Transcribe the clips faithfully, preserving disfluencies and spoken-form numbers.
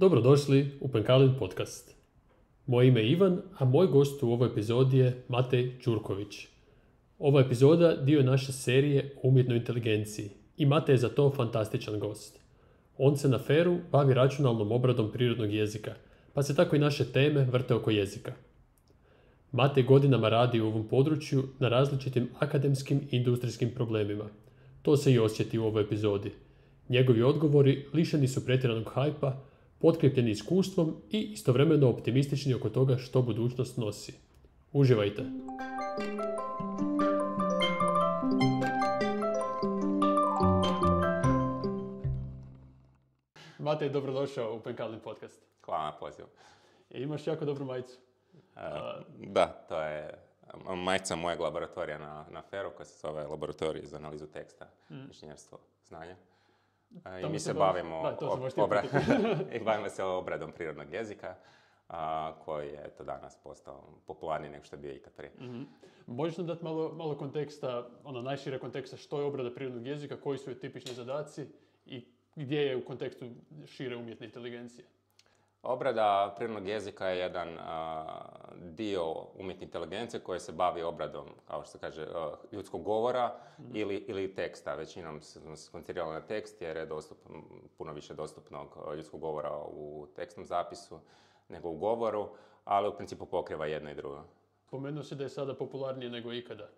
Dobrodošli u Penkalin podcast. Moje ime je Ivan, a moj gost u ovoj epizodi je Matej Ćurković. Ova epizoda dio je naše serije o umjetnoj inteligenciji i Matej je za to fantastičan gost. On se na feru bavi računalnom obradom prirodnog jezika, pa se tako i naše teme vrte oko jezika. Matej godinama radi u ovom području na različitim akademskim i industrijskim problemima. To se i osjeti u ovoj epizodi. Njegovi odgovori lišeni su pretjeranog hajpa, potkrepljeni iskustvom i istovremeno optimistični oko toga što budućnost nosi. Uživajte! Matej, dobrodošao u Penkalin podcast. Hvala na pozivu. E, imaš jako dobru majicu. E, da, to je majica mojeg laboratorija na, na feru koja se zove Laboratorij za analizu teksta, mm. inženjerstvo znanja. I mi se bavimo, da, ob, obra... i bavimo se obradom prirodnog jezika, a, koji je to danas postao popularniji nego što je bio ikad prije. Mm-hmm. Možeš nam dati malo, malo konteksta, ono najšire konteksta, što je obrada prirodnog jezika, koji su je tipični zadaci i gdje je u kontekstu šire umjetne inteligencije? Obrada prirodnog jezika je jedan a, dio umjetne inteligencije koji se bavi obradom, kao što se kaže, a, ljudskog govora mm. ili, ili teksta. Većinom smo se koncentrirali na tekst jer je dostup, puno više dostupnog ljudskog govora u tekstnom zapisu nego u govoru, ali u principu pokriva jedno i drugo. Spomenuo si da je sada popularnije nego ikada.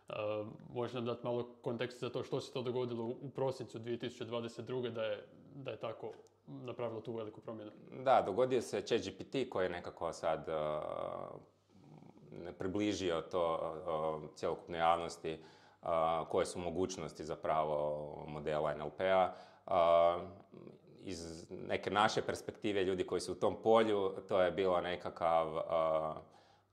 Uh, možeš nam dati malo kontekst za to što se to dogodilo u prosincu dvije tisuće dvadeset druge da je, da je tako napravilo tu veliku promjenu? Da, dogodio se ChatGPT koji je nekako sad uh, približio to uh, cjelokupnoj javnosti uh, koje su mogućnosti zapravo modela N L P-a. Uh, iz neke naše perspektive ljudi koji su u tom polju, to je bilo nekakav uh,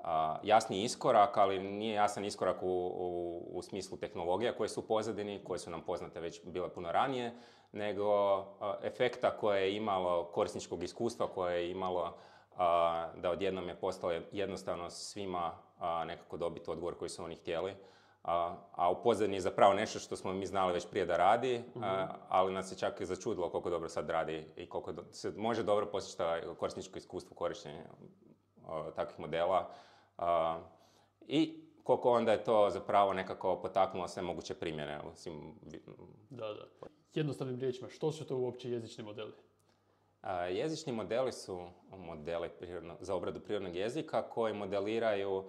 Uh, jasni iskorak, ali nije jasan iskorak u, u, u smislu tehnologija koje su u pozadini, koje su nam poznate već bile puno ranije, nego uh, efekta koje je imalo, korisničkog iskustva koje je imalo uh, da odjednom je postalo jednostavno svima uh, nekako dobiti odgovor koji su oni htjeli. Uh, a u pozadini je zapravo nešto što smo mi znali već prije da radi, uh, ali nas je čak i začudilo koliko dobro sad radi i koliko do, se može dobro postići korisničko iskustvo korištenja uh, takvih modela. Uh, I koliko onda je to zapravo nekako potaknulo sve moguće primjene. Svim... Da, da. Jednostavnim riječima, što su to uopće jezični modeli? Uh, jezični modeli su modeli prirodno, za obradu prirodnog jezika koji modeliraju uh,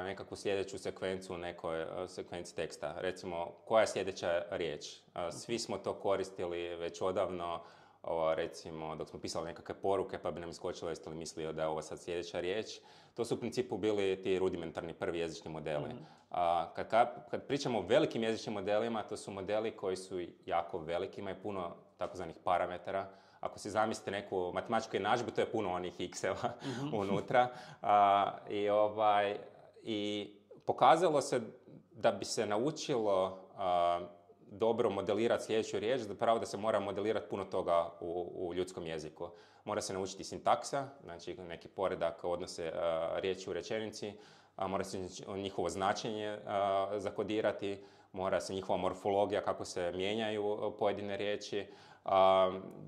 nekakvu sljedeću sekvencu u nekoj uh, sekvenci teksta. Recimo, koja je sljedeća riječ? Uh, svi smo to koristili već odavno. Ovo, recimo, dok smo pisali nekakve poruke, pa bi nam iskočilo jeste li mislio da je ovo sad sljedeća riječ. To su u principu bili ti rudimentarni prvi jezični modeli. Mm-hmm. A, kad, kad pričamo o velikim jezičnim modelima, to su modeli koji su jako veliki, imaju puno takozvanih parametara. Ako si zamislite neku matematičku jednadžbu, to je puno onih x-eva mm-hmm. unutra. A, i, ovaj, I pokazalo se da bi se naučilo a, dobro modelirati sljedeću riječ, zapravo da se mora modelirati puno toga u, u ljudskom jeziku. Mora se naučiti sintaksa, znači neki poredak odnose uh, riječi u rečenici, uh, mora se njihovo značenje uh, zakodirati, mora se njihova morfologija, kako se mijenjaju pojedine riječi, uh,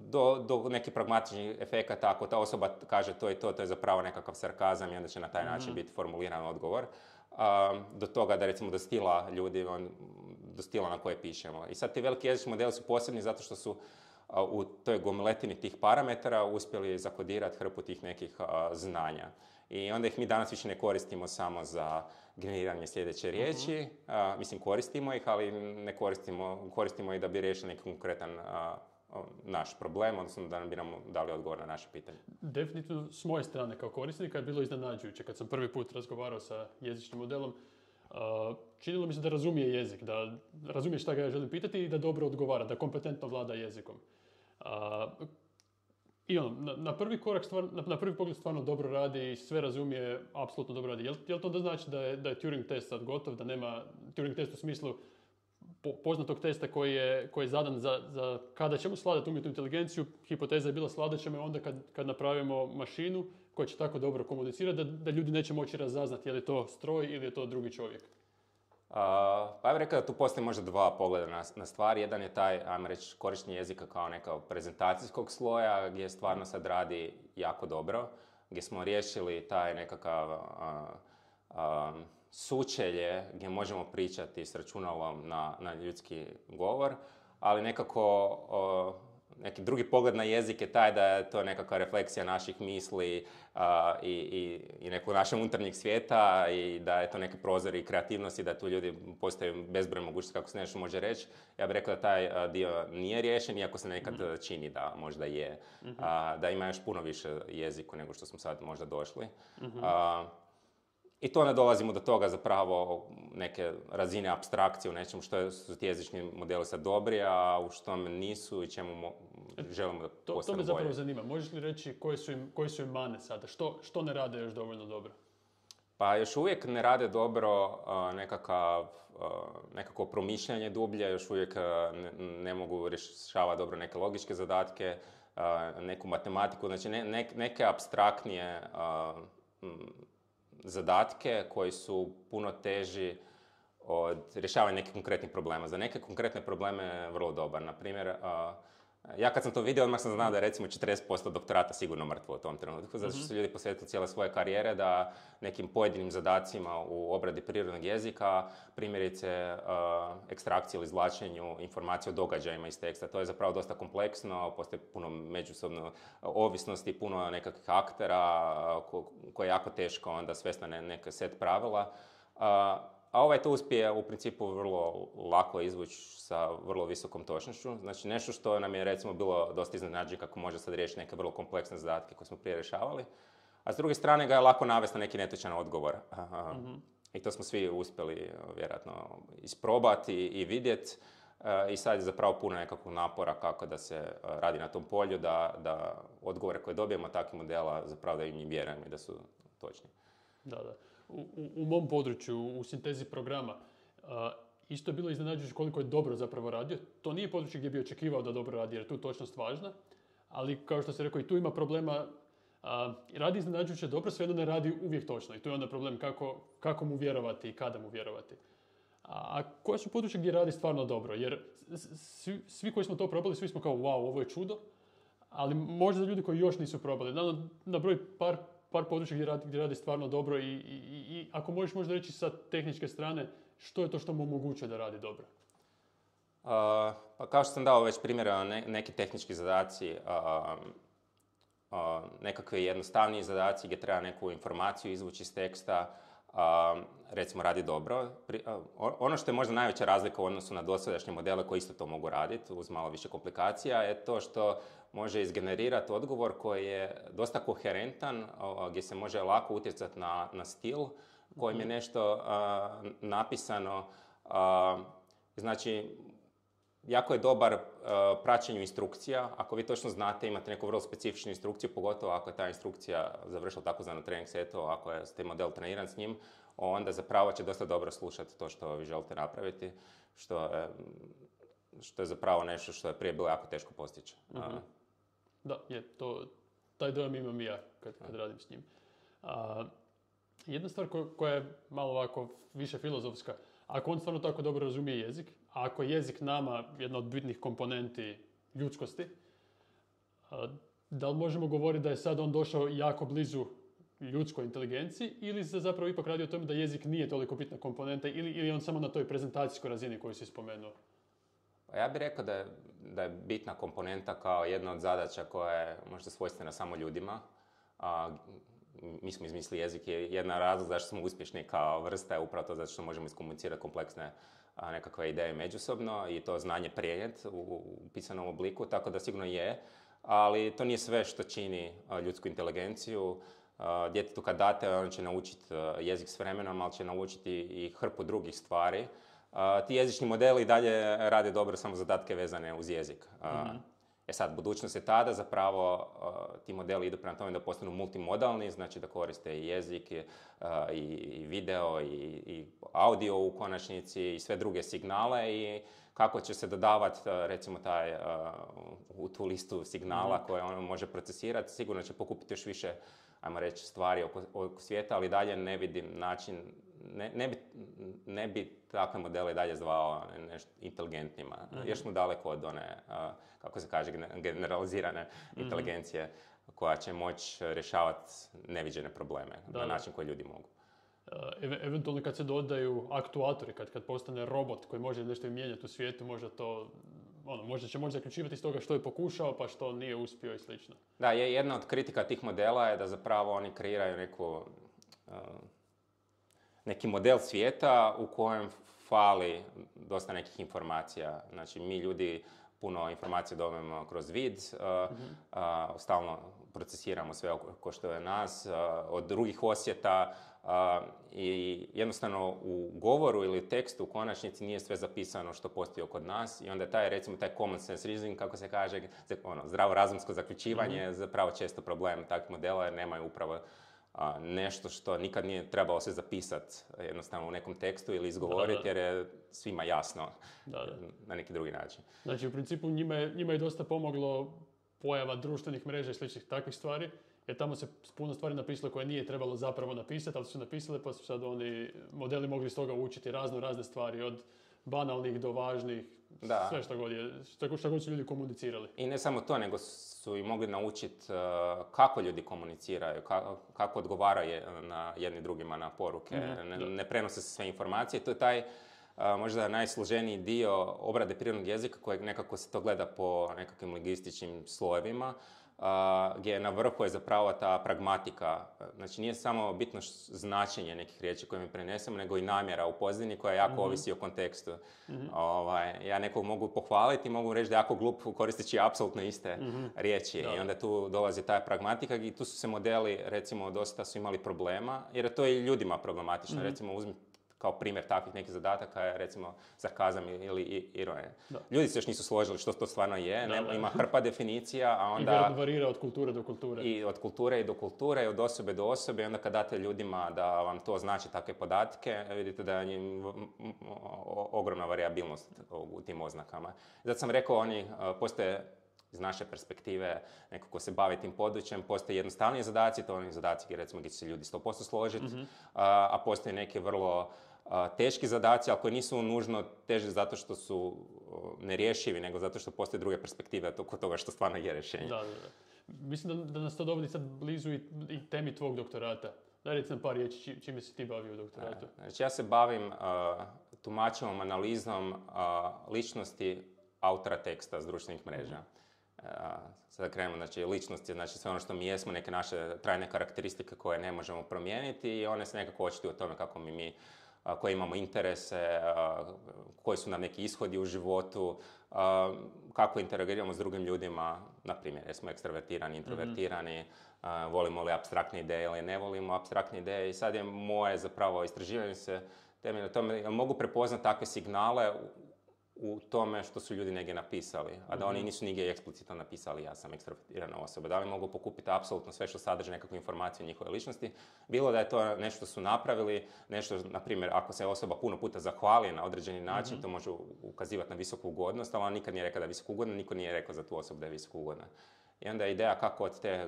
do, do nekih pragmatičnih efekata, ako ta osoba kaže to i to, to je zapravo nekakav sarkazam i onda će na taj način mm-hmm. biti formuliran odgovor. Uh, do toga da recimo do stila ljudi, on, do stila na koje pišemo. I sad ti veliki jezični modeli su posebni zato što su uh, u toj gomiletini tih parametara uspjeli zakodirati hrpu tih nekih uh, znanja. I onda ih mi danas više ne koristimo samo za generiranje sljedeće riječi, uh-huh. uh, mislim koristimo ih, ali ne koristimo, koristimo ih da bi riješili neki konkretan uh, naš problem, odnosno da bi nam dali odgovor na naše pitanje. Definitivno s moje strane kao korisnika je bilo iznenađujuće kad sam prvi put razgovarao sa jezičnim modelom. Uh, činilo mi se da razumije jezik, da razumije šta ga ja želim pitati i da dobro odgovara, da kompetentno vlada jezikom. Uh, I ono, na, na prvi korak, stvar, na, na prvi pogled stvarno dobro radi i sve razumije, apsolutno dobro radi. Jel, jel to da znači da je, da je Turing test sad gotov, da nema Turing test u smislu po, poznatog testa koji je, koji je zadan za, za kada ćemo sladati umjetnu inteligenciju? Hipoteza je bila sladat ćemo onda kad, kad napravimo mašinu koja će tako dobro komunicirati da, da ljudi neće moći razaznati je li to stroj ili je to drugi čovjek. pa ja bih rekao da tu postoji možda dva pogleda na, na stvari. Jedan je taj, ajmo reći, korištenje jezika kao nekao prezentacijskog sloja, gdje stvarno sad radi jako dobro, gdje smo riješili taj nekakav a, a, sučelje gdje možemo pričati s računalom na, na ljudski govor, ali nekako a, neki drugi pogled na jezik je taj da je to nekakva refleksija naših misli a, i, i, i nekog našeg unutarnjeg svijeta i da je to neki prozor i kreativnosti, da tu ljudi postoje bezbroj mogućnosti kako se nešto može reći. Ja bih rekao da taj a, dio nije riješen, iako se nekad mm-hmm. čini da možda je. Mm-hmm. A, da ima još puno više jeziku nego što smo sad možda došli. Mm-hmm. A, I to onda dolazimo do toga zapravo neke razine apstrakcije u nečemu što su ti jezični modeli sad dobri, a u što nisu i čemu mo- želimo da postane bolje. To me zapravo zanima. Možeš li reći koji su im, koji su im mane sada? Što, što ne rade još dovoljno dobro? Pa još uvijek ne rade dobro uh, nekakav, uh, nekako promišljanje dublje, još uvijek uh, ne, ne mogu rješavati dobro neke logičke zadatke, uh, neku matematiku, znači ne, ne, neke apstraktnije uh, m, zadatke koji su puno teži od rješavanja nekih konkretnih problema. Za neke konkretne probleme je vrlo dobar. Na primjer, ja kad sam to vidio, odmah sam znao da je recimo četrdeset posto doktorata sigurno mrtvo u tom trenutku, zato što su ljudi posvetili cijele svoje karijere da nekim pojedinim zadacima u obradi prirodnog jezika, primjerice ekstrakciji ili izvlačenju informacije o događajima iz teksta. To je zapravo dosta kompleksno, postoji puno međusobno ovisnosti, puno nekakvih aktera koje je jako teško onda svesti na neke set pravila. A ovaj to uspije u principu vrlo lako izvući sa vrlo visokom točnošću. Znači nešto što nam je recimo bilo dosta iznenađenje kako može sad riješiti neke vrlo kompleksne zadatke koje smo prije rješavali. A s druge strane ga je lako navesti na neki netočan odgovor. Mm-hmm. I to smo svi uspjeli vjerojatno isprobati i vidjeti. I sad je zapravo puno nekakvog napora kako da se radi na tom polju, da, da odgovore koje dobijemo takvih modela zapravo da im njih vjerujemo i da su točni. Da, da. U, u, u mom području, u sintezi programa, uh, isto je bilo iznenađujuće koliko je dobro zapravo radio. To nije područje gdje bi očekivao da dobro radi, jer je tu točnost važna, ali kao što se rekao i tu ima problema, uh, radi iznenađujuće dobro, svejedno ne radi uvijek točno i tu je onda problem kako, kako mu vjerovati i kada mu vjerovati. A, a koje su područje gdje radi stvarno dobro, jer svi, svi koji smo to probali, svi smo kao wow, ovo je čudo, ali možda za ljudi koji još nisu probali, na, na broj par par područja gdje radi, gdje radi stvarno dobro i, i, i ako možeš možda reći sa tehničke strane, što je to što mu omogućuje da radi dobro? Uh, pa kao što sam dao već primjera, ne, neki tehnički zadaci, uh, uh, nekakve jednostavniji zadaci gdje treba neku informaciju izvući iz teksta, uh, recimo radi dobro. Pri, uh, ono što je možda najveća razlika u odnosu na dosadašnje modele koji isto to mogu raditi uz malo više komplikacija je to što može izgenerirati odgovor koji je dosta koherentan, gdje se može lako utjecati na, na stil kojim je nešto uh, napisano. Uh, znači, jako je dobar uh, praćenju instrukcija. Ako vi točno znate, imate neku vrlo specifičnu instrukciju, pogotovo ako je ta instrukcija završila takozvano trening setu, ako je ste model treniran s njim, onda zapravo će dosta dobro slušati to što vi želite napraviti, što je, što je zapravo nešto što je prije bilo jako teško postići. Mm-hmm. Uh, Da, je, to, taj dojam imam i ja kad, kad radim s njim. A, jedna stvar ko, koja je malo ovako više filozofska, ako on stvarno tako dobro razumije jezik, a ako je jezik nama jedna od bitnih komponenti ljudskosti, a, da li možemo govoriti da je sad on došao jako blizu ljudskoj inteligenciji ili se zapravo ipak radi o tome da jezik nije toliko bitna komponenta ili, ili on samo na toj prezentacijskoj razini koju si spomenuo? Pa ja bih rekao da je, da je bitna komponenta kao jedna od zadaća koja je možda svojstvena samo ljudima. A, mi smo izmislili jezik, je jedna razlog zašto smo uspješni kao vrsta je upravo to zato što možemo iskomunicirati kompleksne a, nekakve ideje međusobno i to znanje prenijeti u, u pisanom obliku, tako da sigurno je. Ali to nije sve što čini a, ljudsku inteligenciju. A, djetetu kad date, on će naučiti jezik s vremenom, ali će naučiti i hrpu drugih stvari. Uh, ti jezični modeli dalje rade dobro samo zadatke vezane uz jezik. Uh, mm-hmm. E sad, budućnost je tada zapravo uh, ti modeli idu prema tome da postanu multimodalni, znači da koriste i jezik, i, uh, i, i video, i, i audio u konačnici i sve druge signale i kako će se dodavati uh, recimo taj uh, u tu listu signala mm-hmm. koje on može procesirati, sigurno će pokupiti još više, ajmo reći, stvari oko, oko svijeta, ali dalje ne vidim način ne, ne, bi, ne bi takve modele dalje zvao nešto inteligentnima. Mm-hmm. Još smo daleko od one, a, kako se kaže, generalizirane mm-hmm. inteligencije koja će moći rješavati neviđene probleme da, na način koji ljudi mogu. E, eventualno kad se dodaju aktuatori, kad, kad postane robot koji može nešto mijenjati u svijetu, možda to, ono, možda će moći zaključivati iz toga što je pokušao pa što nije uspio i slično. Da, je jedna od kritika tih modela je da zapravo oni kreiraju neku, uh, neki model svijeta u kojem fali dosta nekih informacija. Znači, mi ljudi puno informacija dobijemo kroz vid, uh, mm-hmm. uh, stalno procesiramo sve oko što je nas, uh, od drugih osjeta, uh, i jednostavno u govoru ili tekstu u konačnici nije sve zapisano što postoji kod nas i onda taj, recimo, taj common sense reasoning, kako se kaže, ono, zdravorazumsko zaključivanje mm-hmm. je zapravo često problem takvih modela jer nemaju upravo a, nešto što nikad nije trebalo se zapisati jednostavno u nekom tekstu ili izgovoriti, da, da. Jer je svima jasno, da, da. Na neki drugi način. Znači, u principu njima je, njima je dosta pomoglo pojava društvenih mreža i sličnih takvih stvari, jer tamo se puno stvari napisalo koje nije trebalo zapravo napisati, ali su napisale pa su sad oni modeli mogli iz toga učiti razno razne stvari, od banalnih do važnih, da. Sve što god je, što, što god su ljudi komunicirali. I ne samo to, nego su i mogli naučiti uh, kako ljudi komuniciraju, kako, kako odgovaraju na jedni drugima na poruke, mm-hmm. ne, ne prenose se sve informacije. To je taj uh, možda najsloženiji dio obrade prirodnog jezika kojeg nekako se to gleda po nekakvim lingvističkim slojevima. Uh, gdje na vrhu je zapravo ta pragmatika. Znači, nije samo bitno značenje nekih riječi koje mi prenesemo, nego i namjera u pozadini koja jako mm-hmm. ovisi o kontekstu. Mm-hmm. Ovaj, ja nekog mogu pohvaliti, mogu reći da je jako glup koristeći apsolutno iste mm-hmm. riječi. Da. I onda tu dolazi ta pragmatika i tu su se modeli, recimo, dosta su imali problema, jer je to i ljudima problematično. Mm-hmm. Recimo, uzmi kao primjer takvih nekih zadataka je, recimo, sarkazam ili ironija. Ljudi se još nisu složili što to stvarno je, da, nema, da. Ima hrpa definicija, a onda... I varira od kulture do kulture. I od kulture i do kulture, i od osobe do osobe, i onda kad date ljudima da vam to znači takve podatke, vidite da je njim ogromna variabilnost u tim oznakama. Zato sam rekao, oni postoje iz naše perspektive, neko ko se bavi tim područjem, postoje jednostavniji zadaci, to oni zadaci gdje, recimo, gdje će se ljudi sto posto složiti, mm-hmm. a, a postoje neke vrlo a, teški zadaci, ali koji nisu nužno teži zato što su o, nerješivi, nego zato što postoje druge perspektive oko toga što stvarno je rješenje. Da, da, da. Mislim da, da nas to dovodi sad blizu i, i temi tvog doktorata. Daj, reci nam par riječi, či, čime si ti bavio u doktoratu. A, znači, ja se bavim tumačevom analizom a, ličnosti autora teksta s društvenih mreža. Mm-hmm. Uh, sada krenemo, znači, ličnost je, znači, sve ono što mi jesmo, neke naše trajne karakteristike koje ne možemo promijeniti i one se nekako očituju o tome kako mi, mi uh, koje imamo interese, uh, koji su nam neki ishodi u životu, uh, kako interagiramo s drugim ljudima, na primjer, jesmo ekstravertirani, introvertirani, mm-hmm. uh, volimo li apstraktne ideje ili ne volimo apstraktne ideje i sad je moje zapravo istraživanje se temelje na tome, jel mogu prepoznati takve signale u tome što su ljudi negdje napisali, a da oni nisu nigdje eksplicitno napisali ja sam ekstrovertirana osoba. Da li mogu pokupiti apsolutno sve što sadrži nekakvu informaciju o njihove ličnosti, bilo da je to nešto što su napravili, nešto, na primjer, ako se osoba puno puta zahvali na određeni način, mm-hmm. to može ukazivati na visoku ugodnost, ali ona nikad nije rekla da je visoko ugodna, niko nije rekao za tu osobu da je visoko ugodna. I onda je ideja kako od te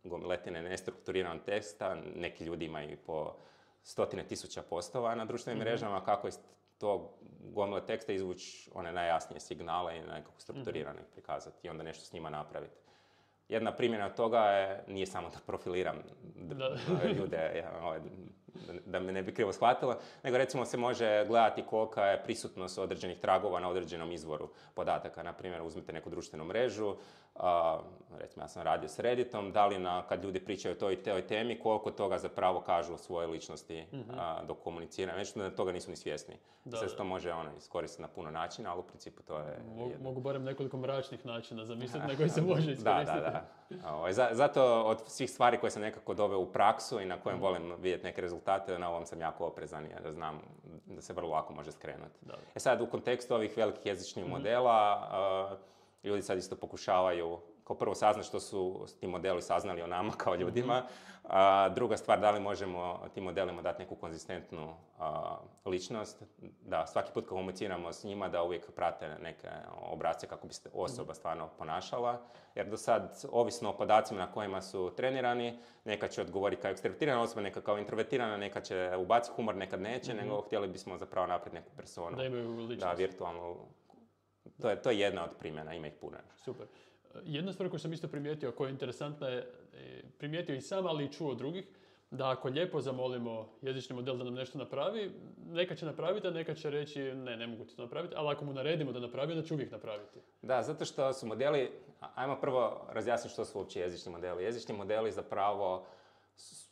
gomiletine nestrukturiranog teksta, neki ljudi imaju po stotine tisuća postova na društvenim mm-hmm. mrežama, kako iz tog gomile teksta izvući one najjasnije signale i nekako strukturirano ih prikazati i onda nešto s njima napraviti. Jedna primjena toga je, nije samo da profiliram da. ljude, ja, ovaj, da me ne bi krivo shvatilo, nego recimo se može gledati kolika je prisutnost određenih tragova na određenom izvoru podataka. Na primjer, uzmite neku društvenu mrežu, a, recimo ja sam radio s Redditom, da li na, kad ljudi pričaju o toj i toj temi, koliko toga zapravo kažu o svojoj ličnosti mm-hmm. a, dok komuniciraju. Nešto da toga nisu ni svjesni. Da, Sve se to može ono, iskoristiti na puno načina, ali u principu to je... Mogu, mogu barem nekoliko mračnih načina zamisliti na koji se može iskoristiti. Da, da, da. O, zato od svih stvari koje sam nekako doveo u praksu i na kojem mm. volim vidjeti neke rezultate, na ovom sam jako oprezan jer znam da se vrlo lako može skrenuti. Da. E sad, u kontekstu ovih velikih jezičnih mm. modela, uh, ljudi sad isto pokušavaju kao prvo saznat što su ti modeli saznali o nama kao ljudima. A, druga stvar, da li možemo tim modelima dati neku konzistentnu a, ličnost, da svaki put komuniciramo s njima da uvijek prate neke obrasce kako bi se osoba stvarno ponašala. Jer do sad, ovisno o podacima na kojima su trenirani, neka će odgovoriti kao ekstravertirana osoba, neka kao introvertirana, neka će ubaciti humor, nekad neće, mm-hmm. nego htjeli bismo zapravo napraviti neku personu. Da imaju ličnost. Da, virtualnu. To je, to je jedna od primjena, ima ih puno. Super. Jedna stvar koju sam isto primijetio, koja je interesantna, je primijetio i sam, ali i čuo od drugih, da ako lijepo zamolimo jezični model da nam nešto napravi, neka će napraviti, a neka će reći ne, ne mogu ti to napraviti, ali ako mu naredimo da napravi, onda će uvijek napraviti. Da, zato što su modeli, ajmo prvo razjasniti što su uopće jezični modeli. Jezični modeli zapravo,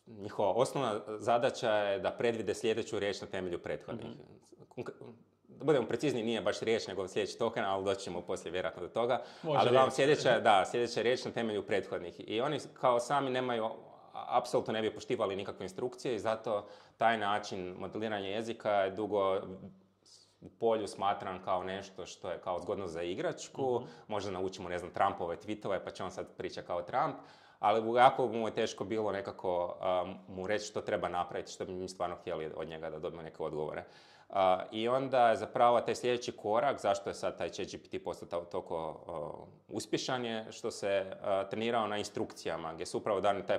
njihova osnovna zadaća je da predvide sljedeću riječ na temelju prethodnih. Mm-hmm. Da budemo precizni, nije baš riječ, nego sljedeći token, ali doći ćemo poslije vjerojatno do toga. Može ali vam sljedeća, da, sljedeća riječ na temelju prethodnih. I oni kao sami nemaju, apsolutno ne bi poštivali nikakve instrukcije i zato taj način modeliranja jezika je dugo u polju smatran kao nešto što je kao zgodno za igračku. Mm-hmm. Možda naučimo, ne znam, Trumpove tweetove, pa će on sad priča kao Trump. Ali jako mu je teško bilo nekako um, mu reći što treba napraviti, što bi mi stvarno htjeli od njega da dobijemo neke odgovore. Uh, I onda je zapravo taj sljedeći korak, zašto je sad taj ChatGPT postao toliko uh, uspješan, je što se uh, trenirao na instrukcijama, gdje su upravo dani taj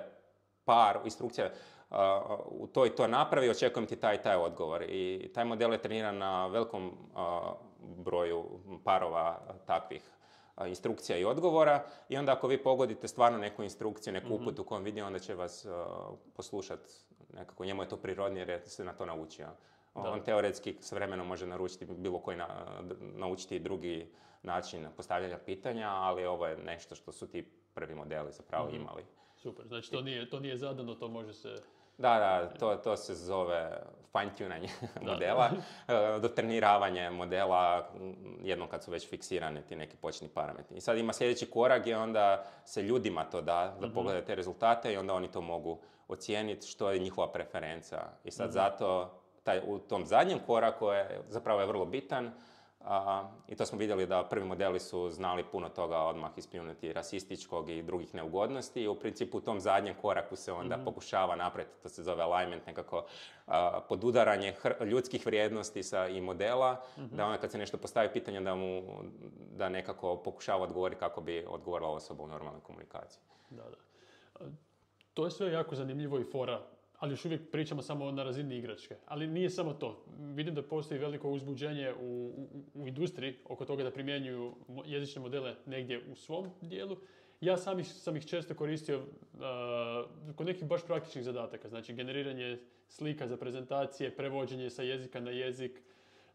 par instrukcija, uh, u to i to napravi, očekujem ti taj i taj odgovor. I taj model je treniran na velikom uh, broju parova takvih instrukcija i odgovora i onda ako vi pogodite stvarno neku instrukciju, neku uputu mm-hmm. kojom vidi, onda će vas uh, poslušati nekako, njemu je to prirodnije jer se na to naučio. Da. On teoretski s vremenom može naručiti bilo koji na, naučiti drugi način postavljanja pitanja, ali ovo je nešto što su ti prvi modeli zapravo mm-hmm. imali. Super, znači to nije, to nije zadano, to može se... Da, da, to, to se zove fine-tunanje modela, dotreniravanje modela jednom kad su već fiksirani ti neki početni parametri. I sad ima sljedeći korak i onda se ljudima to da, da pogledaju te rezultate i onda oni to mogu ocijeniti što je njihova preferenca. I sad mm-hmm. zato taj, u tom zadnjem koraku je zapravo je vrlo bitan. Uh, I to smo vidjeli da prvi modeli su znali puno toga odmah ispljunuti rasističkog i drugih neugodnosti i u principu u tom zadnjem koraku se onda mm-hmm. pokušava napraviti, to se zove alignment, nekako uh, podudaranje hr- ljudskih vrijednosti sa i modela, mm-hmm. da onda kad se nešto postavi pitanje da mu da nekako pokušava odgovoriti kako bi odgovorila osoba u normalnoj komunikaciji. Da, da. To je sve jako zanimljivo i fora, ali još uvijek pričamo samo na razini igračke. Ali nije samo to. Vidim da postoji veliko uzbuđenje u, u, u industriji oko toga da primjenjuju jezične modele negdje u svom dijelu. Ja sam ih, sam ih često koristio uh, kod nekih baš praktičnih zadataka. Znači generiranje slika za prezentacije, prevođenje sa jezika na jezik,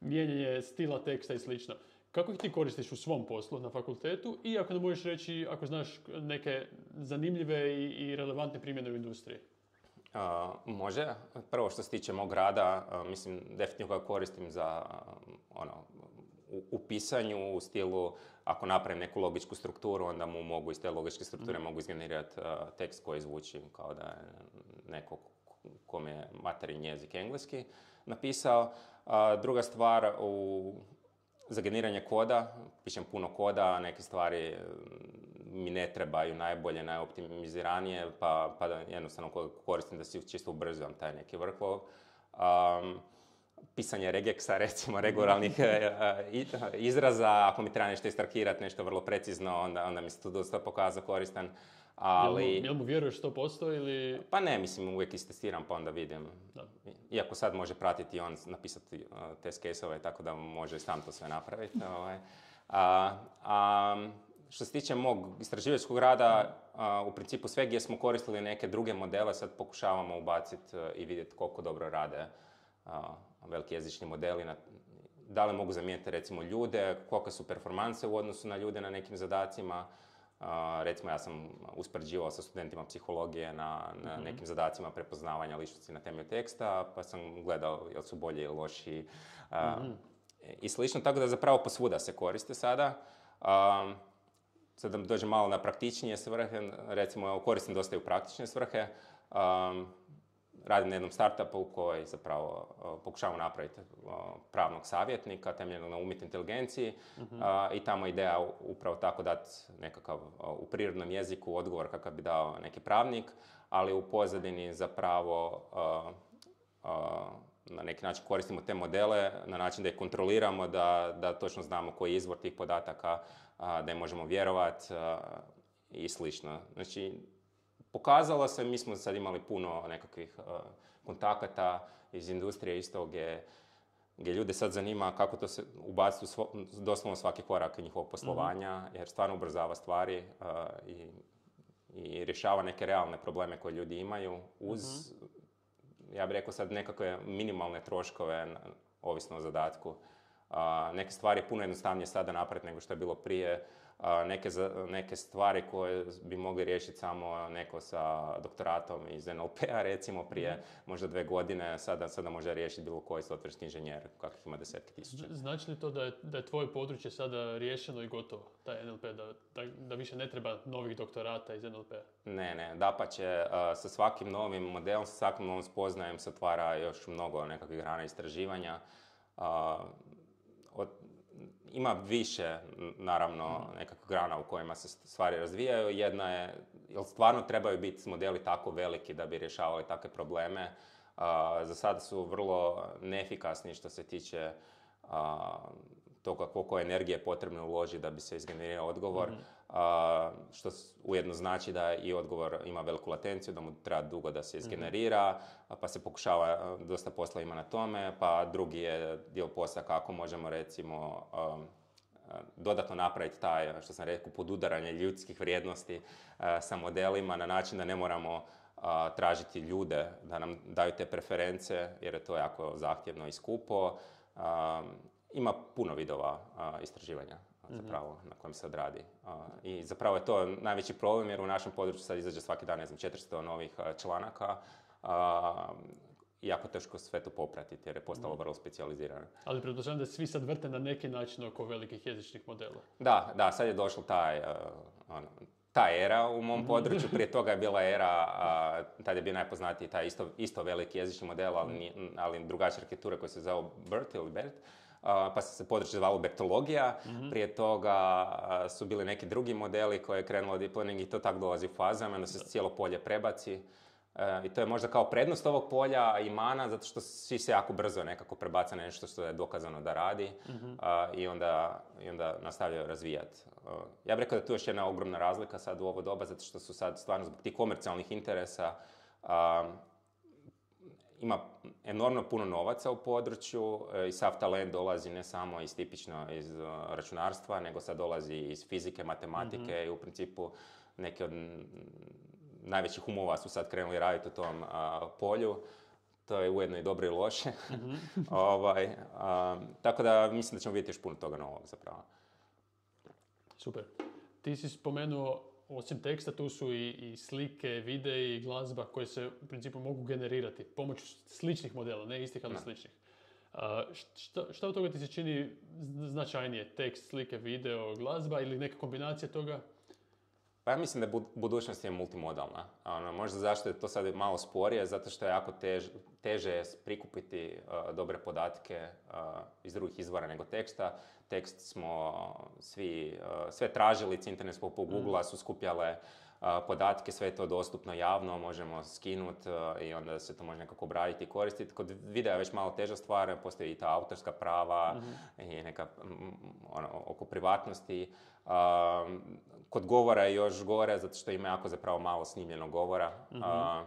mijenjanje stila teksta i slično. Kako ih ti koristiš u svom poslu na fakultetu i ako nam možeš reći, ako znaš neke zanimljive i, i relevantne primjene u industriji? Uh, može. Prvo što se tiče mog rada, uh, mislim, definitivno ga koristim za uh, ono, u, u pisanju, u stilu, ako napravim neku logičku strukturu, onda mu mogu iz te logičke strukture mm. mogu izgenerirati uh, tekst koji zvuči kao da je neko kom je materijni jezik engleski napisao. Uh, druga stvar, u, za generiranje koda, pišem puno koda, neke stvari mi ne trebaju najbolje, najoptimiziranije, pa, pa da jednostavno koristim da si čisto ubrzam taj neki workflow. Um, pisanje regeksa, recimo, regularnih izraza, ako mi treba nešto istrakirati, nešto vrlo precizno, onda, onda mi se to dosta pokazao koristan. Ali... Jel mu, jel mu vjeruješ sto posto ili... Pa ne, mislim, uvijek istestiram pa onda vidim. Da. Iako sad može pratiti on, napisati uh, test case-ove, tako da može sam to sve napraviti. ovaj. a, a, što se tiče mog istraživačkog rada, a, u principu sve gdje smo koristili neke druge modele, sad pokušavamo ubaciti uh, i vidjeti koliko dobro rade uh, veliki jezični modeli. Na, da li mogu zamijeniti recimo ljude, kolike su performanse u odnosu na ljude na nekim zadacima. Uh, recimo, ja sam uspoređivao sa studentima psihologije na, na mm-hmm. nekim zadacima prepoznavanja ličnosti na temelju teksta, pa sam gledao jel su bolji ili loši uh, mm-hmm. i slično, tako da zapravo posvuda se koriste sada. Uh, sad da dođem malo na praktičnije svrhe, recimo koristim dosta i u praktične svrhe. Um, radim na jednom startupu koji zapravo uh, pokušavamo napraviti uh, pravnog savjetnika temeljenog na umjetnoj inteligenciji uh-huh. uh, i tamo ideja upravo tako dati nekakav uh, u prirodnom jeziku odgovor kakav bi dao neki pravnik, ali u pozadini zapravo uh, uh, na neki način koristimo te modele na način da ih kontroliramo, da, da točno znamo koji je izvor tih podataka, uh, da im možemo vjerovati uh, i slično. Znači, pokazalo se, mi smo sad imali puno nekakvih uh, kontakata iz industrije isto gdje, gdje ljude sad zanima kako to se ubaciti u svo, doslovno svaki korak njihovog poslovanja, mm-hmm. jer stvarno ubrzava stvari uh, i, i rješava neke realne probleme koje ljudi imaju uz, mm-hmm. ja bih rekao sad, nekakve minimalne troškove, ovisno o zadatku. Uh, neke stvari je puno jednostavnije sada napraviti nego što je bilo prije. Uh, neke, neke stvari koje bi mogli riješiti samo neko sa doktoratom iz en el pe-a, recimo prije mm. možda dve godine, sada, sada može riješiti bilo koji softverski inženjer, kakvih ima desetki tisuća. Znači li to da je, da je tvoje područje sada riješeno i gotovo, taj en el pe, da, da, da više ne treba novih doktorata iz en el pe-a? Ne, ne, dapače, uh, sa svakim novim modelom, sa svakim novim spoznajem se otvara još mnogo nekakvih grana istraživanja. Uh, od, Ima više, naravno, nekakvih grana u kojima se stvari razvijaju. Jedna je, jel stvarno trebaju biti modeli tako veliki da bi rješavali takve probleme. Uh, za sada su vrlo neefikasni što se tiče uh, toga koliko energije je potrebno uložiti da bi se izgenerirao odgovor, mm-hmm. uh, što ujedno znači da i odgovor ima veliku latenciju, da mu treba dugo da se izgenerira, mm-hmm. pa se pokušava, dosta posla ima na tome, pa drugi je dio posla kako možemo recimo um, dodatno napraviti taj, što sam rekao, podudaranje ljudskih vrijednosti uh, sa modelima na način da ne moramo uh, tražiti ljude da nam daju te preference, jer je to jako zahtjevno i skupo. Um, Ima puno vidova uh, istraživanja mm-hmm. zapravo na kojem se odradi. Uh, I zapravo je to najveći problem jer u našem području sad izađe svaki dan, ne znam, četiristo novih uh, članaka. Uh, jako teško sve to popratiti jer je postalo vrlo specijalizirano. Ali pretpostavljam da svi sad vrte na neki način oko velikih jezičnih modela. Da, da, sad je došlo taj, uh, ono, ta era u mom području. Prije toga je bila era, uh, tad je bio najpoznatiji taj isto, isto veliki jezični model, ali, ali drugačija arhitektura koja se zove BERT ili BERT. Uh, pa se područje zvalo bertologija. Mm-hmm. Prije toga uh, su bili neki drugi modeli koje je krenulo deep learning i to tako dolazi u fazama, onda se da. cijelo polje prebaci. Uh, I to je možda kao prednost ovog polja i mana, zato što svi se jako brzo nekako prebaca na nešto što je dokazano da radi mm-hmm. uh, i, onda, i onda nastavljaju razvijati. Uh, ja bih rekao da tu je još jedna ogromna razlika sad u ovo doba, zato što su sad stvarno zbog tih komercijalnih interesa uh, ima enormno puno novaca u području i sav talent dolazi ne samo iz tipično iz uh, računarstva, nego sad dolazi iz fizike, matematike mm-hmm. i u principu neke od najvećih umova su sad krenuli raditi u tom uh, polju. To je ujedno i dobro i loše. Mm-hmm. ovaj, uh, tako da mislim da ćemo vidjeti još puno toga novog zapravo. Super. Ti si spomenuo, osim teksta, tu su i, i slike, videi i glazba koje se u principu mogu generirati pomoću sličnih modela, ne istih, ali no. sličnih. Uh, šta, šta od toga ti se čini značajnije? Tekst, slike, video, glazba ili neka kombinacija toga? Pa ja mislim da budućnost je multimodalna. Ono, možda zašto je to sad malo sporije, zato što je jako tež, teže prikupiti uh, dobre podatke uh, iz drugih izvora nego teksta. Tekst smo svi, uh, sve tražilice internetskog po Google-a su skupljale uh, podatke, sve je to dostupno javno, možemo skinuti uh, i onda se to može nekako obraditi i koristiti. Kod videa je već malo teža stvar, postoji i ta autorska prava mm-hmm. i neka um, ono, oko privatnosti. Uh, kod govora je još gore, zato što ima jako zapravo malo snimljenog govora. Mm-hmm. Uh,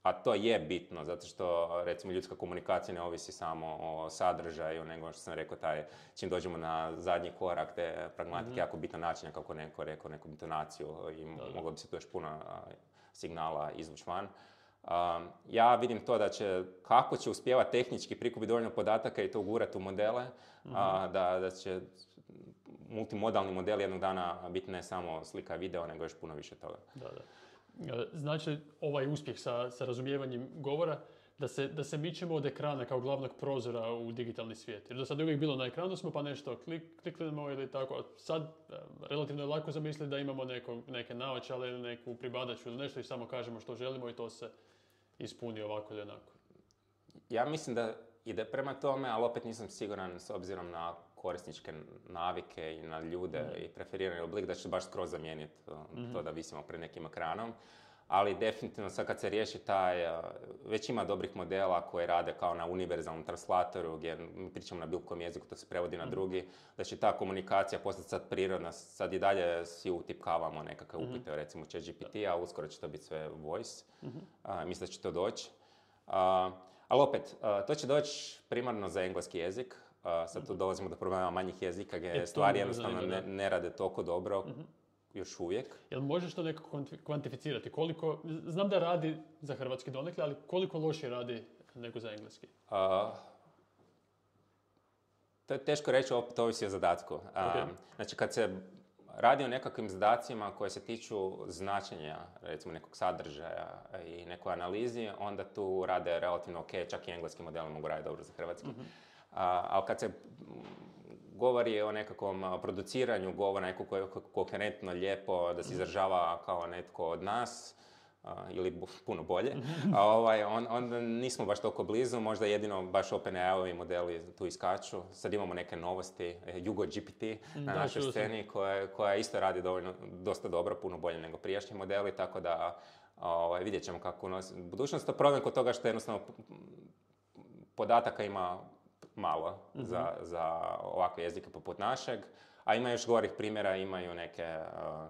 a to je bitno, zato što recimo ljudska komunikacija ne ovisi samo o sadržaju, nego što sam rekao, taj, čim dođemo na zadnji korak te pragmatike, mm-hmm. jako bitan način, kako neko rekao, neku intonaciju i da, da. moglo bi se tu još puno uh, signala izvući van. Uh, ja vidim to da će, kako će uspjevati tehnički prikupiti dovoljno podataka i to ugurati u modele, mm-hmm. uh, da, da će multimodalni model jednog dana biti ne samo slika i video, nego još puno više toga. Da, da. Znači, ovaj uspjeh sa, sa razumijevanjem govora, da se, da se mičemo od ekrana kao glavnog prozora u digitalni svijet. Jer do sad je uvijek bilo na ekranu smo pa nešto klik, kliknemo ili tako. Sad relativno je lako zamisliti da imamo neko, neke naočale ili neku pribadaču ili nešto i samo kažemo što želimo i to se, ispuni ovako ili onako? Ja mislim da ide prema tome, ali opet nisam siguran s obzirom na korisničke navike i na ljude mm. i preferirani oblik da će baš skroz zamijeniti mm-hmm. to da visimo pred nekim ekranom. Ali definitivno sad kad se riješi taj, već ima dobrih modela koji rade kao na univerzalnom translatoru gdje mi pričamo na bilo kojem jeziku, to se prevodi na drugi, da će ta komunikacija postati sad prirodna, sad i dalje svi utipkavamo nekakve upite, mm-hmm. recimo ChatGPT, a uskoro će to biti sve voice, mm-hmm. a, mislim da će to doći. A, ali opet, a, to će doći primarno za engleski jezik, a, sad tu dolazimo do problema manjih jezika gdje je stvari jednostavno ne, ne rade toliko dobro. Mm-hmm. Još uvijek. Jel možeš to nekako kvantificirati? Koliko, znam da radi za hrvatski donekle, ali koliko loše radi nego za engleski? Uh, to je teško reći, opet ovisi o zadatku. Uh, okay. Znači, kad se radi o nekakvim zadacima koje se tiču značenja, recimo nekog sadržaja i nekoj analizi, onda tu rade relativno ok, čak i engleski modeli mogu raditi dobro za hrvatski. Mm-hmm. Uh, ali kad se govori o nekakvom produciranju govora, neko koje je koherentno, lijepo, da se izražava kao netko od nas, uh, ili puno bolje, a ovaj, on, onda nismo baš toliko blizu, možda jedino baš OpenAI-ovi modeli tu iskaču. Sad imamo neke novosti, Jugo G P T na da, našoj sceni, koja, koja isto radi dovoljno, dosta dobro, puno bolje nego prijašnji modeli, tako da ovaj, vidjet ćemo kako unosi budućnost. To problem kod toga što jednostavno podataka ima malo mm-hmm. za, za ovakve jezike poput našeg, a ima još gorih primjera, imaju neke, uh,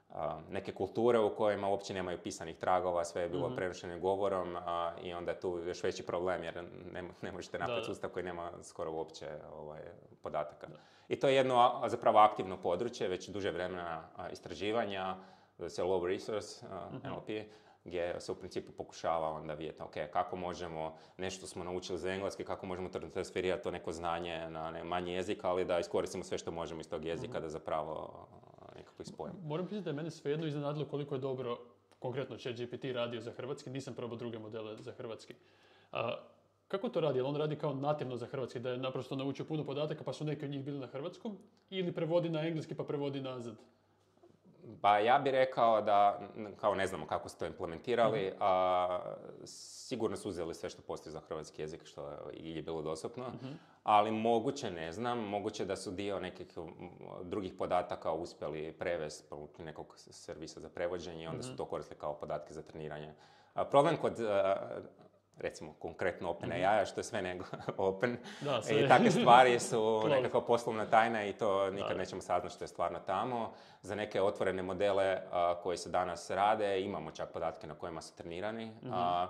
uh, neke kulture u kojima uopće nemaju pisanih tragova, sve je bilo mm-hmm. prenošeno govorom uh, i onda je tu još veći problem jer ne, ne možete napraviti sustav koji nema skoro uopće ovaj, podataka. Da. I to je jedno zapravo aktivno područje, već duže vremena uh, istraživanja, da se low resource, uh, mm-hmm. N L P, gdje se u principu pokušava onda vidjeti ok, kako možemo nešto smo naučili za engleski, kako možemo transferirati to neko znanje na ne, manji jezik, ali da iskoristimo sve što možemo iz tog jezika mm-hmm. da zapravo nekako ispojimo. Moram priznati da je mene svejedno iznenadilo koliko je dobro konkretno ChatGPT radio za hrvatski, nisam probao druge modele za hrvatski. A, kako to radi? Jel on radi kao nativno za hrvatski, da je naprosto naučio puno podataka pa su neki od njih bili na hrvatskom, ili prevodi na engleski pa prevodi nazad? Pa ja bih rekao da, kao ne znamo kako su to implementirali, mm-hmm. a sigurno su uzeli sve što postoji za hrvatski jezik, što je bilo dostupno, mm-hmm. ali moguće, ne znam, moguće da su dio nekih drugih podataka uspjeli prevesti pomoću nekog servisa za prevođenje i onda mm-hmm. su to koristili kao podatke za treniranje. A problem kod recimo konkretno OpenAI, što je sve nego open. Da, sve. I takve stvari su nekakva poslovna tajna i to nikad da. nećemo saznati što je stvarno tamo. Za neke otvorene modele a, koji se danas rade, imamo čak podatke na kojima su trenirani, mm-hmm. a,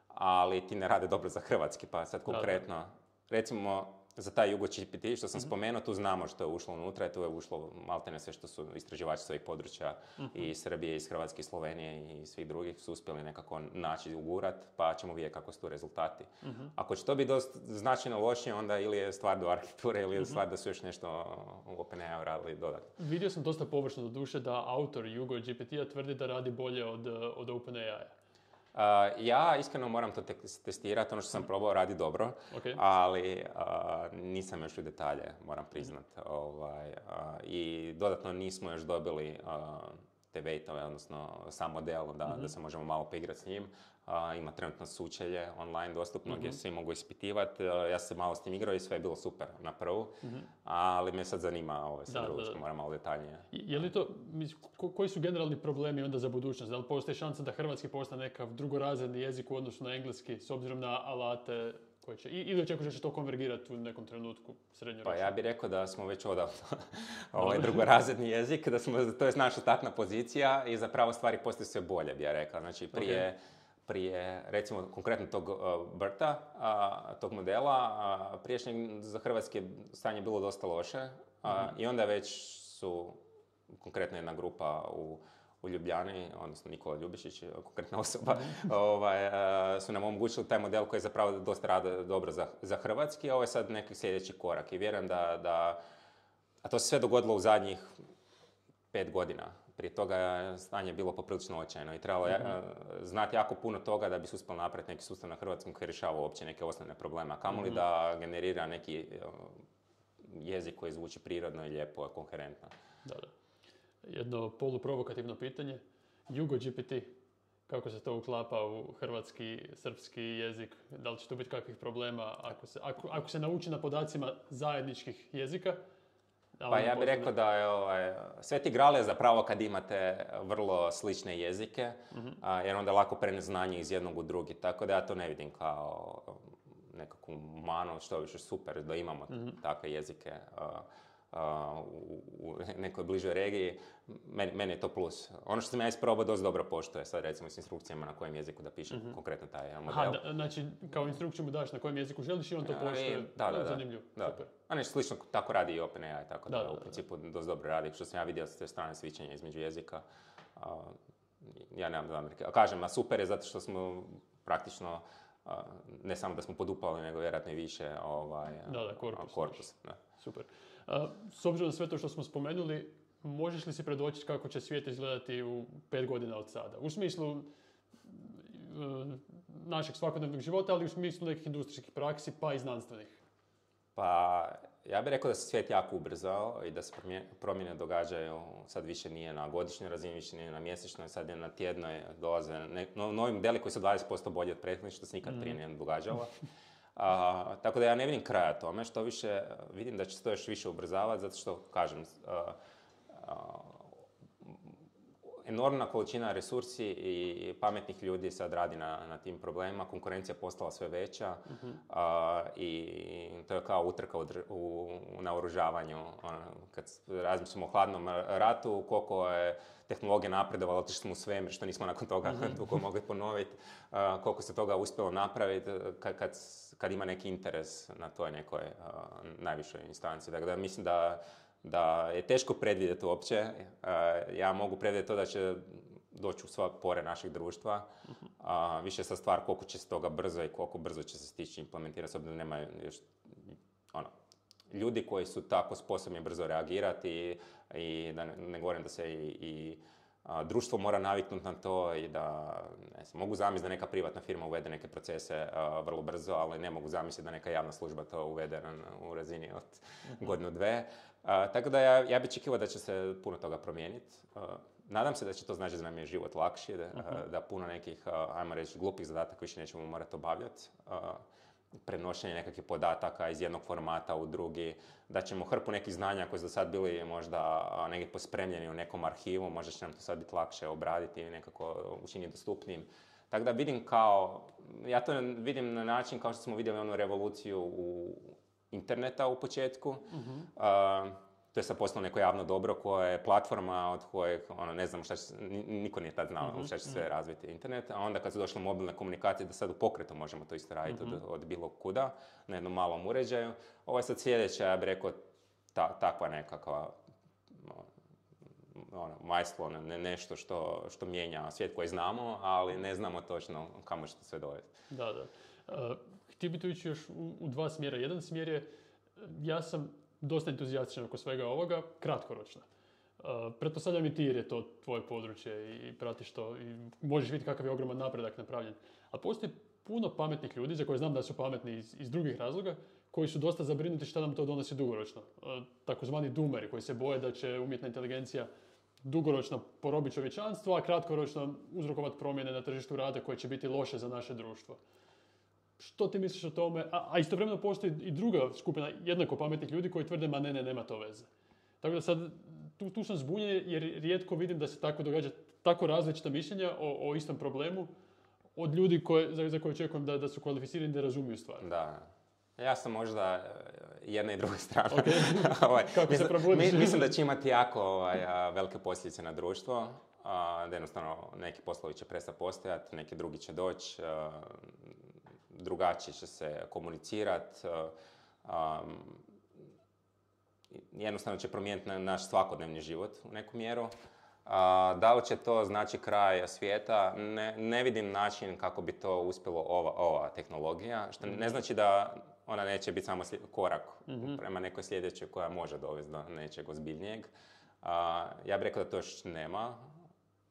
ali ti ne rade dobro za hrvatski, pa sad konkretno, da, da. recimo za taj Jugo G P T što sam mm-hmm. spomenuo, tu znamo što je ušlo unutra i tu je ušlo maltene sve što su istraživači svojih područja mm-hmm. i Srbije, iz Hrvatske, i Slovenije i svih drugih su uspjeli nekako naći ugurat, pa ćemo vidjeti kako su tu rezultati. Mm-hmm. Ako će to biti dosta značajno lošije, onda ili je stvar do arhitekture ili je mm-hmm. stvar da su još nešto u OpenAI radili dodatno. Vidio sam dosta površno do duše da autor Jugo G P T-a tvrdi da radi bolje od, od OpenAI-a. Uh, ja iskreno moram to te- testirati, ono što sam probao radi dobro, okay. ali uh, nisam još u detalje, moram priznat. Ovaj, uh, I dodatno nismo još dobili uh, te weightove, odnosno sam model da, mm-hmm. da se možemo malo poigrati s njim. Uh, ima trenutno sučelje online dostupno mm-hmm. gdje svi mogu ispitivati. Uh, ja sam malo s tim igrao i sve je bilo super na prvu, mm-hmm. ali me sad zanima ovo sad drugo, moram malo detaljnije. Je li to, ko, koji su generalni problemi onda za budućnost? Da li postoji šansa da hrvatski postane nekav drugorazredni jezik u odnosu na engleski s obzirom na alate koje će, ili očekuješ da će to konvergirati u nekom trenutku srednjoročno? Pa ja bih rekao da smo već odavno ovaj drugorazredni jezik, da smo, to je naša startna pozicija i zapravo stvari postaju sve bolje, bi ja rekao. Znači prije okay. prije, recimo, konkretno tog uh, Berta, uh, tog modela, uh, prijašnjeg za hrvatski stanje bilo dosta loše uh, mm-hmm. i onda već su, konkretno jedna grupa u, u Ljubljani, odnosno Nikola Ljubišić, konkretna osoba, mm-hmm. ovaj, uh, su nam omogućili taj model koji je zapravo dosta rada dobro za, za hrvatski, a ovo je sad neki sljedeći korak i vjerujem da, da, a to se sve dogodilo u zadnjih pet godina. Prije toga je stanje bilo poprilično očajno i trebalo je mm-hmm. znati jako puno toga da bi se uspjelo napraviti neki sustav na hrvatskom koji rješava uopće neke osnovne probleme. A kamoli mm-hmm. da generira neki jezik koji zvuči prirodno i lijepo, koherentno. Da, da. Jedno poluprovokativno pitanje. Jugo G P T, kako se to uklapa u hrvatski, srpski jezik, da li će tu biti kakvih problema ako se, ako, ako se nauči na podacima zajedničkih jezika. Pa ja bih rekao da je ovaj, Sveti Gral je zapravo kad imate vrlo slične jezike, mm-hmm. a, jer onda lako prenesi znanje iz jednog u drugi, tako da ja to ne vidim kao nekakvu manu, što više super da imamo mm-hmm. takve jezike a, a, u, u nekoj bližoj regiji. Meni, meni je to plus. Ono što sam ja isprobao dosta dobro poštuje, sad recimo s instrukcijama na kojem jeziku da pišem mm-hmm. konkretno taj model. Aha, da, znači kao instrukciju mu daš na kojem jeziku želiš i on to poštuje. Da, da, da. Zanimljivo, da. Super. A nešto slično tako radi i OpenAI, tako da, da, da u da, principu da. dosta dobro radi. Što sam ja vidio s te strane svičanja između jezika, a, ja nemam zamjerke. A kažem, a super je zato što smo praktično, a, ne samo da smo podupali, nego vjerojatno i više ovaj, da, da, korpus. A, korpus da. Super. A, s obzirom na sve to što smo spomenuli, možeš li si predočiti kako će svijet izgledati u pet godina od sada? U smislu uh, našeg svakodnevnog života, ali u smislu nekih industrijskih praksi, pa i znanstvenih. Pa, ja bih rekao da se svijet jako ubrzao i da se promjene događaju, sad više nije na godišnjoj razini, više nije na mjesečnoj, sad je na tjednoj, dolaze ne, no, novi modeli koji su dvadeset posto bolji od prethodnih, što se nikad prije nije događalo. A, tako da ja ne vidim kraja tome, što više vidim da će se to još više ubrzavati, zato što, kažem, a, a, enormna količina resursi i pametnih ljudi sad radi na, na tim problemima, konkurencija je postala sve veća uh-huh. a, i to je kao utrka u, u, u naoružavanju. Ono, kad razmišljamo o hladnom ratu, koliko je tehnologija napredovala, otišli smo u svemir, što nismo nakon toga uh-huh. toliko mogli ponoviti, a, koliko se toga uspjelo napraviti kad, kad, kad ima neki interes na toj nekoj a, najvišoj instanciji. Dakle, da mislim da da je teško predvidjeti uopće. Ja mogu predvidjeti to da će doći u sva pore našeg društva. A, više sa stvar koliko će se toga brzo i koliko brzo će se stići implementirati, s obzirom da nema još ono, ljudi koji su tako sposobni brzo reagirati i, i da ne, ne govorim da se i, i a, društvo mora naviknuti na to i da ne znam, mogu zamisliti da neka privatna firma uvede neke procese a, vrlo brzo, ali ne mogu zamisliti da neka javna služba to uvede na, u razini od uh-huh. godinu dve. Uh, tako da ja, ja bih očekivao da će se puno toga promijeniti. Uh, nadam se da će to znači da nam je život lakši, da, uh-huh. uh, da puno nekih, uh, ajmo reći, glupih zadataka više nećemo morati obavljati. Uh, prenošenje nekakvih podataka iz jednog formata u drugi, da ćemo hrpu nekih znanja koji su do sad bili možda uh, negdje pospremljeni u nekom arhivu, možda će nam to sad biti lakše obraditi i nekako učiniti dostupnim. Tako da vidim kao, ja to vidim na način kao što smo vidjeli onu revoluciju u interneta u početku. Uh-huh. Uh, to je sad postalo neko javno dobro koje je platforma od kojeg, ono, ne znam šta će, niko nije tad znao uh-huh. šta će sve razviti internet, a onda kad su došle mobilne komunikacije da sad u pokretu možemo to isto raditi uh-huh. od, od bilo kuda, na jednom malom uređaju. Ovo je sad sljedeća, ja bih rekao, ta, takva nekakva ono, majstvo, ne, nešto što, što mijenja svijet koji znamo, ali ne znamo točno kamo će to sve dovesti. Da, da. Uh, htio bi tu ići još u, u dva smjera. Jedan smjer je, ja sam dosta entuzijastičan oko svega ovoga, kratkoročno. Uh, pretpostavljam i ti jer je to tvoje područje i pratiš to i možeš vidjeti kakav je ogroman napredak napravljen. Ali postoji puno pametnih ljudi, za koje znam da su pametni iz, iz drugih razloga, koji su dosta zabrinuti šta nam to donosi dugoročno. Uh, takozvani doomeri koji se boje da će umjetna inteligencija dugoročno porobiti čovječanstvo, a kratkoročno uzrokovati promjene na tržištu rada koje će biti loše za naše društvo. Što ti misliš o tome? A, a istovremeno postoji i druga skupina jednako pametnih ljudi koji tvrde ma ne, ne, nema to veze. Tako da sad, tu, tu sam zbunjen jer rijetko vidim da se tako događa tako različita mišljenja o, o istom problemu od ljudi koje, za, za koje očekujem da, da su kvalificirani da razumiju stvar. Da. Ja sam možda jedna i druga strana. Okay. ovaj, Kako mislim, se probudiš? Mislim da će imati jako ovaj, velike posljedice na društvo. A, da jednostavno neki poslovi će prestati postojati, neki drugi će doći, drugačije će se komunicirati. Jednostavno će promijeniti naš svakodnevni život u neku mjeru. A, da li će to znači kraj svijeta? Ne, ne vidim način kako bi to uspjelo ova, ova tehnologija, što ne znači da ona neće biti samo sli- korak mm-hmm. prema nekoj sljedećoj koja može dovesti do nečeg ozbiljnijeg. A, ja bih rekao da to još nema.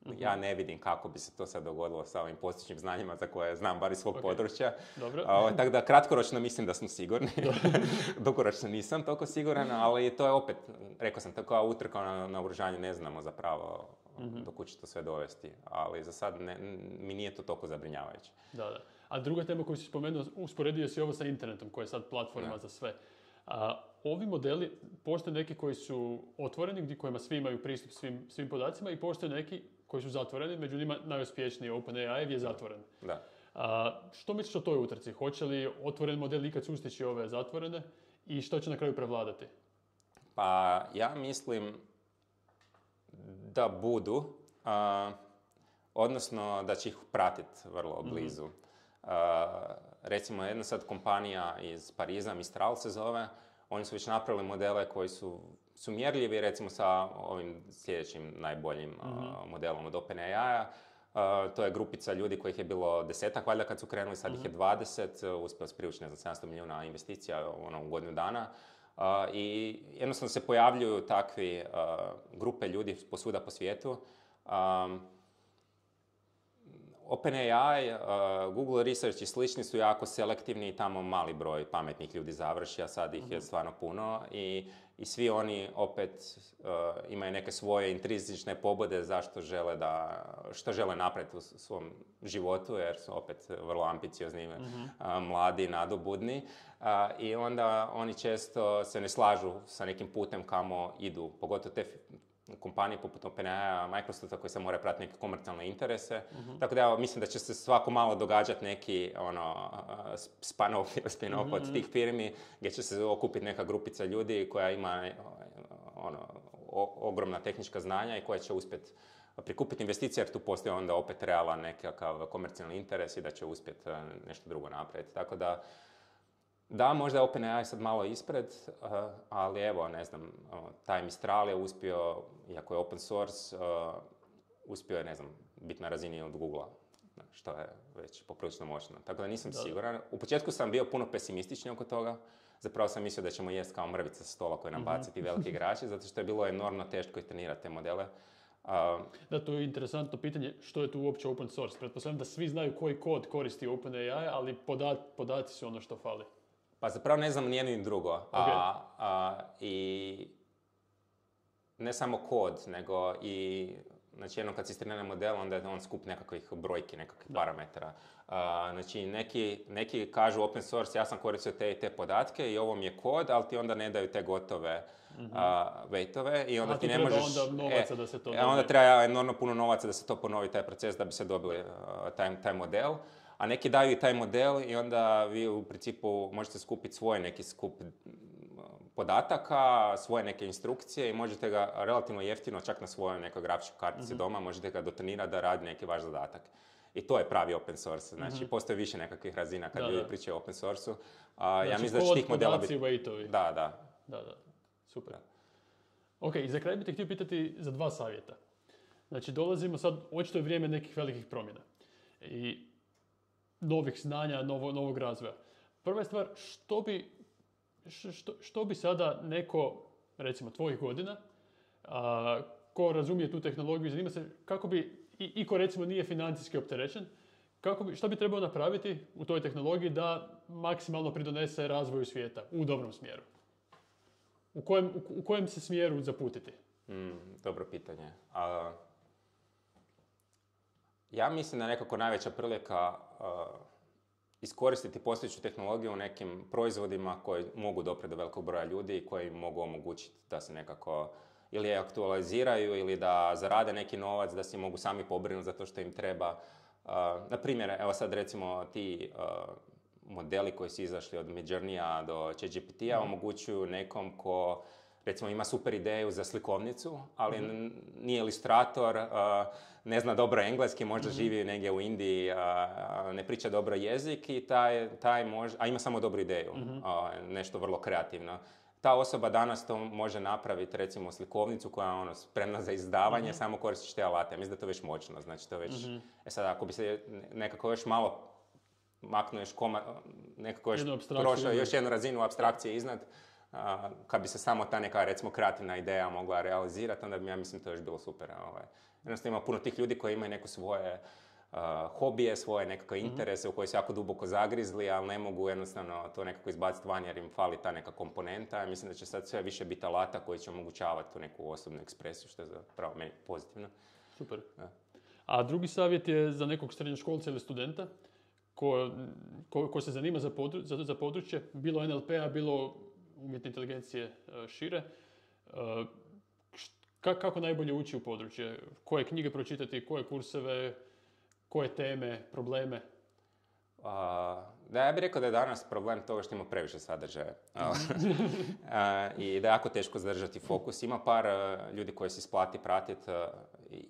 Mm-hmm. Ja ne vidim kako bi se to sad dogodilo sa ovim postojećim znanjima za koje znam bar iz svog okay. područja. Dobro. A, tako da kratkoročno mislim da smo sigurni. Dugoročno nisam toliko siguran, ali to je opet, rekao sam, tako utrka na naoružanje, ne znamo zapravo mm-hmm. do kud će to sve dovesti. Ali za sad ne, mi nije to toliko zabrinjavajuće. Da, da. A druga tema koju si spomenuo, usporedio si ovo sa internetom, koja je sad platforma ne. za sve. A, ovi modeli, postoje neki koji su otvoreni, gdje kojima svi imaju pristup svim, svim podacima, i postoje neki koji su zatvoreni, među njima najuspješniji OpenAI je zatvoren. Da. A, što misliš o toj utrci? Hoće li otvoren model ikad sustići ove zatvorene i što će na kraju prevladati? Pa ja mislim da budu, a, odnosno da će ih pratiti vrlo blizu. Mm-hmm. A, recimo jedna sad kompanija iz Pariza, Mistral se zove, oni su već napravili modele koji su, su mjerljivi recimo sa ovim sljedećim najboljim mm-hmm. a, modelom od OpenAI-a. Uh, to je grupica ljudi kojih je bilo desetak valjda kad su krenuli, sad mm-hmm. ih je dvadeset, uspio se privući ne znam sedamsto milijuna investicija ono, u godinu dana. Uh, I jednostavno se pojavljuju takvi uh, grupe ljudi posvuda po svijetu. Um, OpenAI, uh, Google Research i slični su jako selektivni i tamo mali broj pametnih ljudi završi, a sad ih mm-hmm. je stvarno puno. I, i svi oni opet uh, imaju neke svoje intrinzične pobude zašto žele da, što žele napraviti u svom životu, jer su opet vrlo ambiciozni, mm-hmm. uh, mladi, nadobudni. Uh, I onda oni često se ne slažu sa nekim putem kamo idu, pogotovo te kompanije poput OpenAI, Microsofta koji se moraju pratiti neke komercijalne interese. Mm-hmm. Tako da ja mislim da će se svako malo događati neki ono, spin-off, spin-off mm-hmm. od tih firmi gdje će se okupiti neka grupica ljudi koja ima ono, o, ogromna tehnička znanja i koja će uspjeti prikupiti investicije, jer tu postoji onda opet realan nekakav komercijalni interes i da će uspjeti nešto drugo napraviti. Tako da da, možda je OpenAI sad malo ispred, uh, ali evo, ne znam, uh, taj Mistral je uspio, iako je open source, uh, uspio je, ne znam, biti na razini od Googlea, što je već poprilično moćno. Tako da nisam da. siguran. U početku sam bio puno pesimistični oko toga. Zapravo sam mislio da ćemo jest kao mrvice sa stola koje nam baciti mm-hmm. veliki igrači, zato što je bilo enormno teško trenirati te modele. Uh, da, to je interesantno pitanje, što je tu uopće open source. Pretpostavljam da svi znaju koji kod koristi OpenAI, ali podat, podaci su ono što fali. Pa zapravo ne znam nijedno ni drugo. Okay. A, a, I ne samo kod, nego i znači jednom kad si istrenira model, onda je on skup nekakvih brojki, nekakvih da. parametara. A, znači neki, neki kažu open source, ja sam koristio te i te podatke i ovo mi je kod, ali ti onda ne daju te gotove mm-hmm. a, weightove i onda a, ti ne možeš... onda novaca e, da se to dobije. Onda treba enormno puno novaca da se to ponovi, taj proces, da bi se dobili uh, taj, taj model. A neki daju i taj model i onda vi u principu možete skupiti svoj neki skup podataka, svoje neke instrukcije i možete ga relativno jeftino, čak na svojoj nekoj grafičkoj kartici mm-hmm. doma, možete ga dotrenirati da radi neki vaš zadatak. I to je pravi open source. Znači, mm-hmm. postoji više nekakvih razina kad da, ljudi da. pričaju o open source-u. Znači, ja mislim da će tih modela biti... weightovi. Da, da. Da, da. Super. Da. Ok, i za kraj bih te htio pitati za dva savjeta. Znači, dolazimo sad, očito je vrijeme nekih velikih promjena. I novih znanja, novo, novog razvoja. Prva je stvar, što bi, što, što bi sada neko, recimo tvojih godina, a, ko razumije tu tehnologiju, zanima se kako bi, i, i ko recimo nije financijski opterećen, kako bi, što bi trebao napraviti u toj tehnologiji da maksimalno pridonese razvoju svijeta u dobrom smjeru? U kojem, u, u kojem se smjeru zaputiti? Mm, dobro pitanje. A... Ja mislim da nekako najveća prilika uh, iskoristiti postojeću tehnologiju u nekim proizvodima koji mogu doprijeti do velikog broja ljudi i koji mogu omogućiti da se nekako ili je aktualiziraju ili da zarade neki novac, da se mogu sami pobrinuti za to što im treba. Uh, na primjer, evo sad recimo ti uh, modeli koji su izašli od Midjourneya do ChatGPT-a mm. omogućuju nekom ko recimo ima super ideju za slikovnicu, ali mm-hmm. nije ilustrator, uh, ne zna dobro engleski, možda mm-hmm. živi negdje u Indiji, uh, ne priča dobro jezik i taj, taj može, a ima samo dobru ideju, mm-hmm. uh, nešto vrlo kreativno. Ta osoba danas to može napraviti, recimo slikovnicu koja je ono, spremna za izdavanje, mm-hmm. samo koristiš te alate. Mislim da to već moćno, znači to već... Mm-hmm. E sad, ako bi se nekako još malo maknuo još koma, nekako još prošao još jednu razinu apstrakcije iznad, Uh, kad bi se samo ta neka, recimo, kreativna ideja mogla realizirati, onda bi, ja mislim, to još bilo super. Ovaj. Jednostavno ima puno tih ljudi koji imaju neko svoje uh, hobije, svoje nekakve mm-hmm. interese u koje su jako duboko zagrizli, ali ne mogu jednostavno to nekako izbaciti van jer im fali ta neka komponenta. Ja mislim da će sad sve više biti alata koji će omogućavati tu neku osobnu ekspresiju, što je zapravo meni pozitivno. Super. Da. A drugi savjet je za nekog srednjoškolca ili studenta ko, ko, ko se zanima za, podru, za, za područje, bilo N L P-a, bilo umjetne inteligencije uh, šire. Uh, ka, kako najbolje ući u područje? Koje knjige pročitati, koje kurseve, koje teme, probleme? Uh, da, ja bih rekao da je danas problem toga što ima previše sadržaja. uh, I da je jako teško zadržati fokus. Ima par uh, ljudi koji se isplati pratiti uh,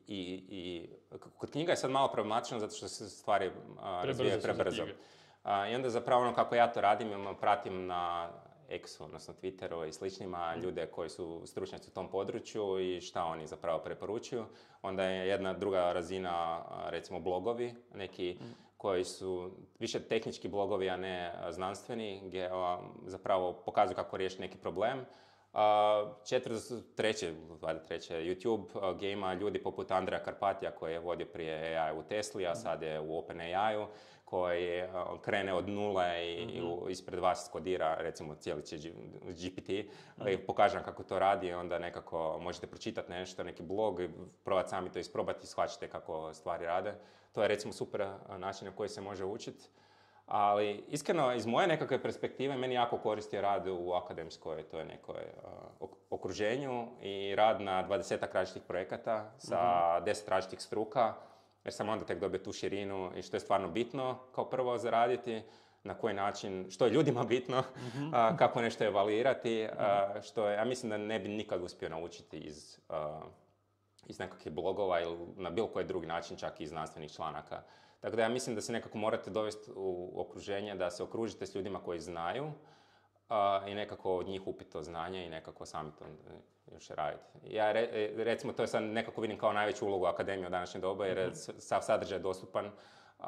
i, i kod knjiga je sad malo problematično zato što se stvari uh, razvijaju prebrzo. Uh, I onda zapravo ono kako ja to radim, ja pratim na X-u, odnosno Twitteru i sličnima, ljude koji su stručnjaci u tom području i šta oni zapravo preporučuju. Onda je jedna druga razina, recimo blogovi, neki mm. koji su više tehnički blogovi, a ne znanstveni, gdje zapravo pokazuju kako riješiti neki problem. Četvrto, treće, treće, YouTube, gdje ima ljudi poput Andreja Karpatija koji je vodio prije A I u Tesli, a sad je u OpenAI-u, koji krene od nule i, mm-hmm. i ispred vas skodira, recimo, cijeli će G P T mm-hmm. i pokaže vam kako to radi i onda nekako možete pročitati nešto, neki blog i probati sami to isprobati i shvaćate kako stvari rade. To je, recimo, super način na koji se može učiti. Ali, iskreno, iz moje nekakve perspektive, meni jako koristio rad u akademskoj, to je nekoj uh, okruženju i rad na dvadesetak različitih projekata sa mm-hmm. deset različitih struka, jer sam onda tek dobio tu širinu i što je stvarno bitno kao prvo zaraditi, na koji način, što je ljudima bitno, mm-hmm. uh, kako nešto evaluirati, uh, što je, ja mislim da ne bi nikad uspio naučiti iz, uh, iz nekakvih blogova ili na bilo koji drugi način, čak i iz znanstvenih članaka. Tako da ja mislim da se nekako morate dovesti u okruženje, da se okružite s ljudima koji znaju uh, i nekako od njih upiti to znanje i nekako sami to još raditi. Ja re, recimo to je sad nekako vidim kao najveću ulogu akademije u današnje doba jer je sav sadržaj dostupan, uh,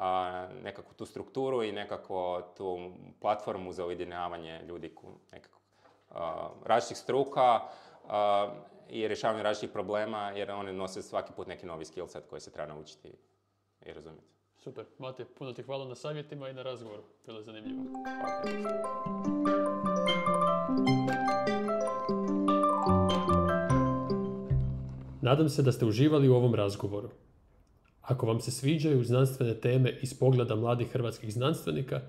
nekako tu strukturu i nekako tu platformu za ujedinjavanje ljudi nekako uh, različitih struka uh, i rješavanje različitih problema jer oni nose svaki put neki novi skillset koji se treba naučiti i razumjeti. Super. Mate, puno ti hvala na savjetima i na razgovoru. Bilo je zanimljivo. Nadam se da ste uživali u ovom razgovoru. Ako vam se sviđaju znanstvene teme iz pogleda mladih hrvatskih znanstvenika,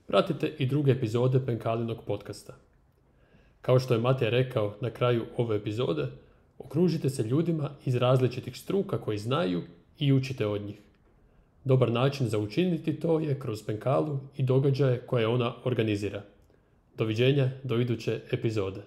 pratite i druge epizode Penkalinog podcasta. Kao što je Matej rekao na kraju ove epizode, okružite se ljudima iz različitih struka koji znaju i učite od njih. Dobar način za učiniti to je kroz Penkalu i događaje koje ona organizira. Doviđenja do iduće epizode.